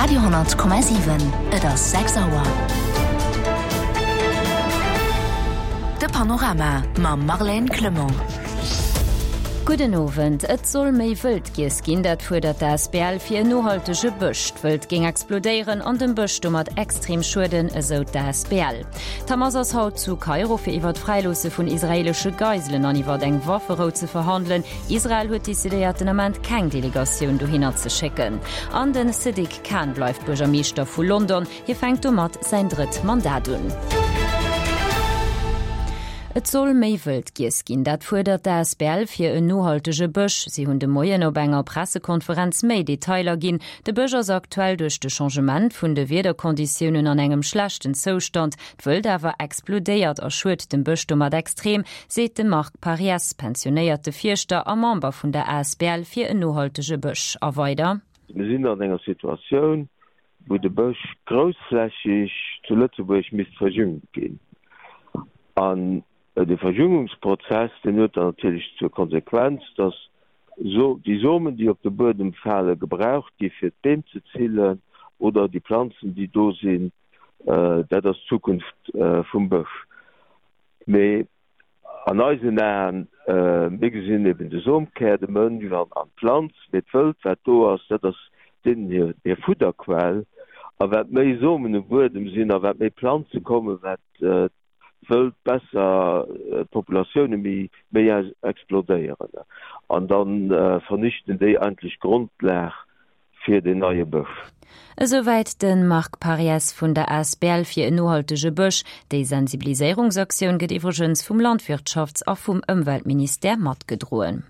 Radio,7 Et ass 6 Auer. De Panorama mam Marlène Clement. Gudden Owend. Et soll méi Wëld giess ginn, dat fuerdert d'ASBL fir en nohaltege Bësch. D'Wëld géing explodéieren an dem Bësch domat extrem schueden, esou d'ASBL. D'Hamas ass haut zu Kairo fir iwwer d'Fräiloosse vun israeelesche Geiselen an iwwer eng Wafferou ze verhandelen. Israel huet decidéiert, den Ament keng Delegatioun dohinner ze schécken. An den Sadiq Khan bleift Buergermeeschter vu London. Hie fänkt domat säin drëtt Mandat un. Et soll méi Wëld giess ginn, dat fuerdert d'ASBL fir en nohaltege Bësch. Si hunn de Moien op enger Pressekonferenz méi Detailer ginn. De Bësch ass aktuell duerch de Changement vun de Wiederkonditiounen an engem schlechten Zoustand. D'Wëld awer explodéiert a schued dem Bësch domat extrem, seet de Marc Pariès, pensionéierte Fierschter a Member vun der asbl fir en nohaltege Bësch. A weider. Mir sinn an enger Situatioun, wou de Bësch groussflächeg zu Lëtzebuerg misst verjüngt ginn. An de Verjüngungsprozess, deen huet dann natierlech zur Konsequenz, dass déi Somen, déi op de Buedem falen, gebraucht gi fir d'Beem ze zillen oder déi Planzen, déi do sinn, Dat ass d'Zukunft vum Bësch. Mee an eisen Aen, mir gesinn eben de Somkär, de Mënsch an d'Planz, mee d'Wëld, wat do ass, dat ass deenen hir Fudderquell. A wat méi Somen um Buedem sinn a wat méi Planze kommen, wat d'Wëld besser, d'Populatioune méi explodéieren. An da vernichten déi eigentlech d'Grondlag fir den neie Bësch. Esouwäit de Marc Pariès vun der asbl fir en nohaltege Bësch. Déi Sensibiliséierungsaktioun gëtt iwwregens vum Landwirtschafts a vum Ëmweltministère matgedroen.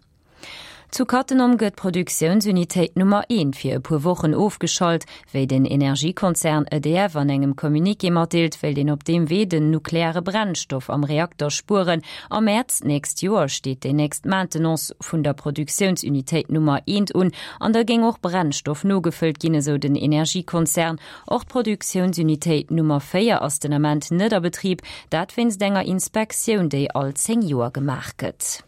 Zu Cattenom gëtt d'Produktiounsunitéit Nummer eent fir e puer Wochen ofgeschalt. Wéi den Energiekonzern EDF an engem Communiqué matdeelt, wéilt een op deem Wee den nukleare Brennstoff am Reakter spueren. Am Mäerz d'nächst Joer steet déi nächst Maintenance vun der Produktiounsunitéit Nummer eent un an da géing och Brennstoff nogefëllt ginn, esou den Energiekonzern. Och d'Produktiounsunitéit Nummer 4 ass den Ament net a Betrib, dat wéinst enger Inspektioun, déi all 10 Joer gemaach gëtt.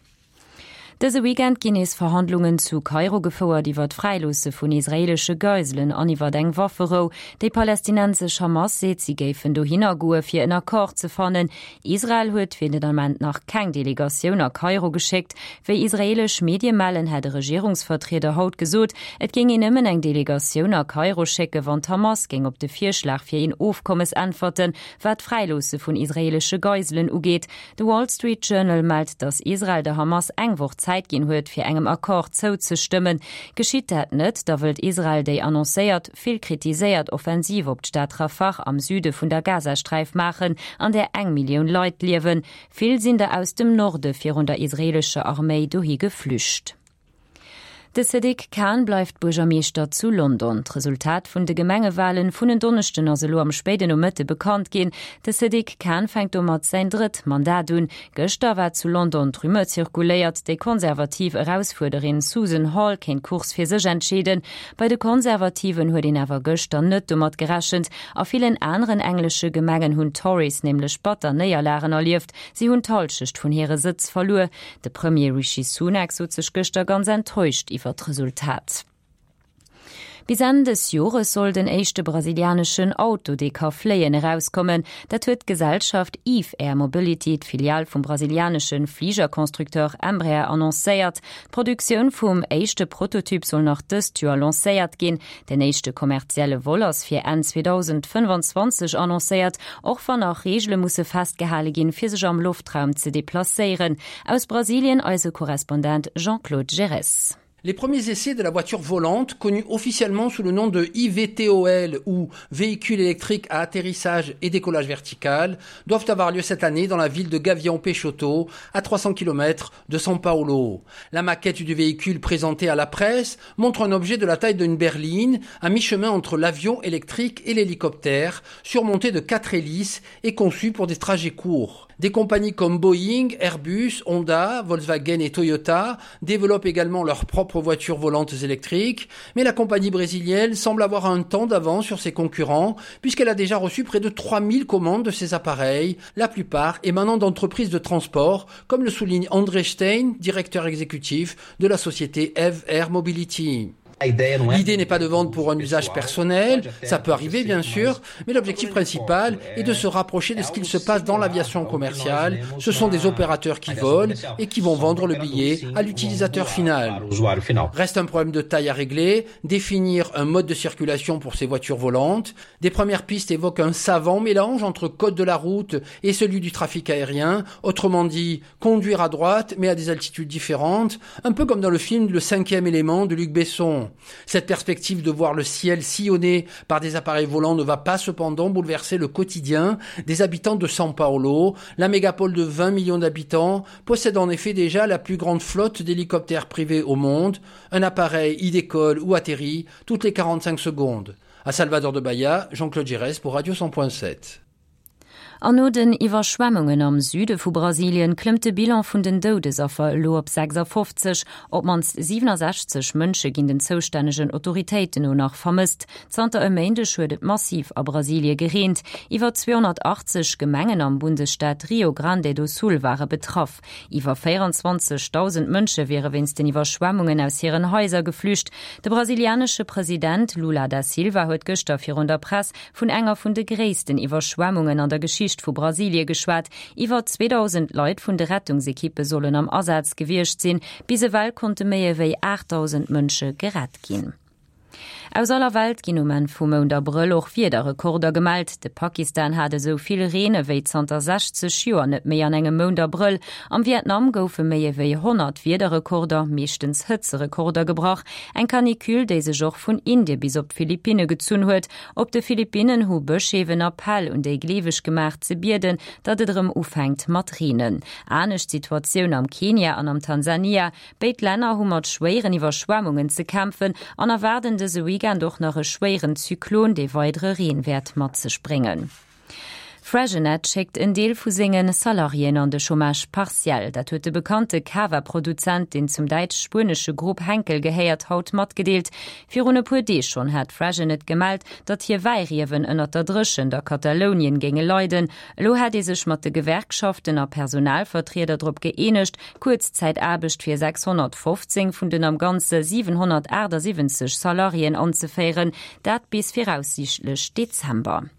Dëse Weekend ginn nees Verhandlungen zu Kairo gefouert iwwer d'Fräiloosse vun israeelesche Geiselen an iwwer eng Wafferou. Déi palästinensesch Hamas seet, si géifen dohinner goe fir en Accord ze fannen. Israel huet fir den Ament nach keng Delegatioun a Kairo geschéckt. Wéi israeelesch Medie mellen, hätt e Regierungsvertrieder haut gesot, et géing een nëmmen eng Delegatioun a Kairo schécken, wann d'Hamas géing op de Virschlag fir een Ofkommes äntwerten, wat d'Fräiloosse vun israeelesche Geiselen ugeet. De Wall Street Journal mellt, datt Israel der Hamas eng Woch Zäit ginn huet, fir engem Accord zouzestëmmen. Geschitt dat net, da wëllt Israel déi annoncéiert, vill kritiséiert Offensiv op d'Stad Rafah am Süde vun der Gazasträif maachen, an där eng Millioun Leit liewen. Vill sinn der aus dem Norde virun der israeelescher Arméi dohi geflücht. De Sadiq Khan bleift Buergermeeschter zu London. D'Resultat vun de Gemengewalen vun en Donneschden ass elo am spéiden Nomëtte bekannt ginn. De Sadiq Khan fänkt domat säin drëtt Mandat un. Gëschter war zu London d'Rumeur zirkuléiert, déi konservativ Erausfuerderin Susan Hall kéint d'Course fir sech entscheeden. Bei de Konservativen huet een awer gëschter net domat gerechent. A villen aneren englesche Gemengen hunn d'Tories nämlech batter Néierlagen erlieft, si hunn d'Hallschecht vun hire Sëtz verluer. De Premier Rishi Sunak sot sech gëschter ganz enttäuscht iwwer d'Resultat. Bis Enn des Jores soll den éischte brasilianeschen Auto, dee ka fléien, erauskommen. Dat huet d'Gesellschaft Eve Air Mobility, d'Filial vum brasilianesche Fligerconstructeur Embraer, annoncéiert. D'Produktioun vum éischte Prototyp soll nach dëst Joer lancéiert ginn. Den éischte kommerzielle Vol ass fir Enn 2025 annoncéiert, och wann nach Reegele musse festgehale ginn, fir sech am Loftraum ze deplacéieren. Aus Brasilien eise Korrespondent Jean-Claude Geres. Les premiers essais de la voiture volante, connue officiellement sous le nom de IVTOL ou véhicule électrique à atterrissage et décollage vertical, doivent avoir lieu cette année dans la ville de Gavião Peixoto, à 300 km de São Paulo. La maquette du véhicule présentée à la presse montre un objet de la taille d'une berline, à mi-chemin entre l'avion électrique et l'hélicoptère, surmonté de quatre hélices et conçu pour des trajets courts. Des compagnies comme Boeing, Airbus, Honda, Volkswagen et Toyota développent également leurs propres voitures volantes électriques, mais la compagnie brésilienne semble avoir un temps d'avance sur ses concurrents puisqu'elle a déjà reçu près de 3000 commandes de ces appareils, la plupart émanant d'entreprises de transport, comme le souligne André Stein, directeur exécutif de la société Eve Air Mobility. L'idée n'est pas de vendre pour un usage personnel, ça peut arriver bien sûr, mais l'objectif principal est de se rapprocher de ce qu'il se passe dans l'aviation commerciale. Ce sont des opérateurs qui volent et qui vont vendre le billet à l'utilisateur final. Reste un problème de taille à régler, définir un mode de circulation pour ces voitures volantes. Des premières pistes évoquent un savant mélange entre code de la route et celui du trafic aérien, autrement dit conduire à droite mais à des altitudes différentes, un peu comme dans le film Le cinquième élément de Luc Besson. Cette perspective de voir le ciel sillonné par des appareils volants ne va pas cependant bouleverser le quotidien des habitants de São Paulo. La mégapole de 20 millions d'habitants possède en effet déjà la plus grande flotte d'hélicoptères privés au monde. Un appareil y décolle ou atterrit toutes les 45 secondes. À Salvador de Bahia, Jean-Claude Giresse pour Radio 100.7. An no den Iwwerschwemmungen am Süde vu Brasilien klëmmt de Bilan vun den Doudesaffer elo op 56. Op d'mannst 67 Mënsche ginn den zoustännegen Autoritéiten no nach vermësst. Zanter e Méindeg huet et massiv a Brasilie gereent. Iwwer 280 Gemengen am Bundesstaat Rio Grande do Sul ware betraff. Iwwer 24.000 Mënsche wiere wéinst den Iwwerschwemmungen aus hiren Haiser geflücht. De brasilianesche President Lula da Silva huet gëschter virun der Press vun enger vun de gréissten Iwwerschwemmungen an der Geschicht vu Brasilie geschwat. Iwwer 2.000 Leit vun de Rettungsekippe sollen am Asaz gewiescht sinn. Bis ewell konnte méi ewéi 8.000 Mënsche gerett ginn. Aus aller Welt ginn um Enn vum Mount Abrëll och Wiederrekorder gemellt. De Pakistan hat esou vill Reen ewéi zanter 60 Joer net méi an engem Mount Abrëll. Am Vietnam goufe méi ewéi 100 Wiederrekorder, meeschtens Hëtzerekorder, gebrach. Eng Canicule, déi sech och vun Indie bis op d'Philippinne gezunn huet. Op de Philippinnen hu Bëscheef en Appell un déi Gleeweg gemaach, ze bieden, datt et erëm ufänkt mat reenen. Anescht Situatioun am Kenia an am Tansania. Béid Länner hu mat schwéieren Iwwerschwemmungen ze kämpfen an erwaarden dëse Weekend och nach e schwéieren Zyklon, dee weidere Reen wäert mat sech bréngen. Freixenet schéckt en Deel vu senge Salariéen an de Chômage partiel. Dat huet de bekannte Cava-Produzent, deen zum däitsch-spuenesche Grupp Henkel gehéiert, haut matgedeelt. Virun e puer Deeg schonn hat Freixenet gemellt, datt hir Wäiriewen ënnert der Dréchent a Katalounien géinge leiden. Elo hätt ee sech mat de Gewerkschaften a Personalvertrieder drop gëeenegt, Kuerzzäitaarbecht fir 615 vun den am Ganze 778 Salariéen anzeféieren, dat bis viraussiichtlech Dezember.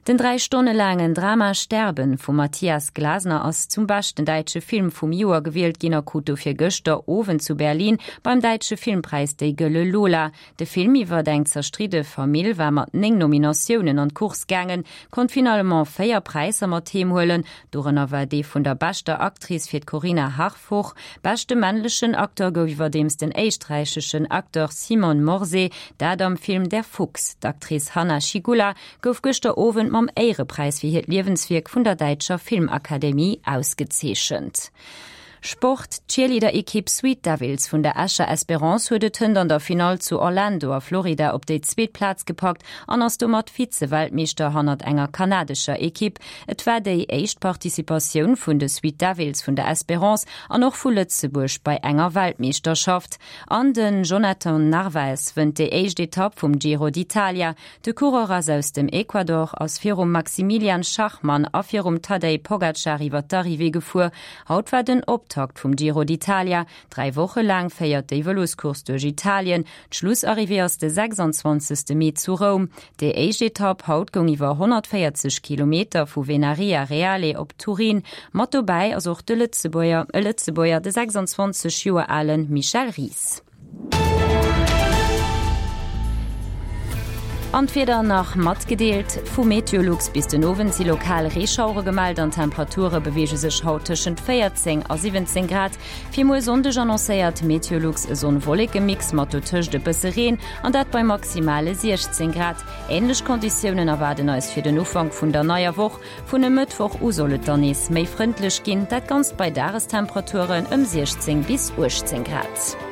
Den 3 Stonne laangen Drama Sterben vum Matthias Glasner ass zum beschten däitsche Film vum Joer gewielt ginn a krut dofir gëschter Owend zu Berlin beim Däitsche Filmpräis déi Gëlle Lola. De Film iwwert eng zerstridde Famill war mat 9 Nominatiounen an d'Course gaangen, konnt finalement 4 Präisser mat heem huelen, dorënner war dee vun der beschter Actrice fir d'Corinna Harfouch. Beschte männlechen Acteur gouf iwwerdeems den éisträicheschen Acteur Simon Morsé, dat am Film Der Fuchs. D'Actrice Hanna Schygulla gouf gëschter Owend mam Éierepräis fir hiert Liewenswierk vun der däitscher Filmakademie ausgezeechent. Sport, D'Cheerleader-Ekipp Sweet Devils vun der Escher Espérance huet et hënt an der Finall zu Orlando a Florida op déi zweet Plaz gepackt an ass domat Vize-Weltmeeschter hannert enger kanadescher Ekipp. Et war déi éischt Participatioun vun de Sweet Devils vun der Espérance an och vu Lëtzebuerg bei enger Weltmeeschterschaft. An den Jhonatan Narvaez wënnt déi éischt Etapp vum Giro d'Italia. De Coureur ass aus dem Ecuador, ass virum Maximilian Schachmann a virum Tadej Pogacar iwwer d'Arrivée gefuer. Haut war den Optakt vum Giro d'Italia. 3 Woche laang féiert déi Vëloscourse duerch Italien. D'Schlussarrivée ass de 26. Mee zu Roum. Déi éischt Etapp haut goung iwwer 140 Kilometer vu Venaria Reale op Turin. Mat dobäi ass och de Lëtzebuerger, e Lëtzebuerger, de 26 Joer ale Michel Ries. An d'Wieder nach matgedeelt vu Meteolux, Bis den Owend si lokal Reeschauere gemellt an d'Temperature beweege sech haut tëschent 14 a 17 Grad. Fir muer Sonndeg annoncéiert Meteolux e Sonn-Wolleke-Mix mat dotëscht e bësse Reen, an dat bei maximale 16 Grad. Änlech Konditiounen erwaarden eis fir den Ufank vun der neier Woch. Vun e Mëttwoch u soll et dann nees méi frëndlech ginn, dat Ganzt bei Dagestemperaturen ëm 16 bis 18 Grad.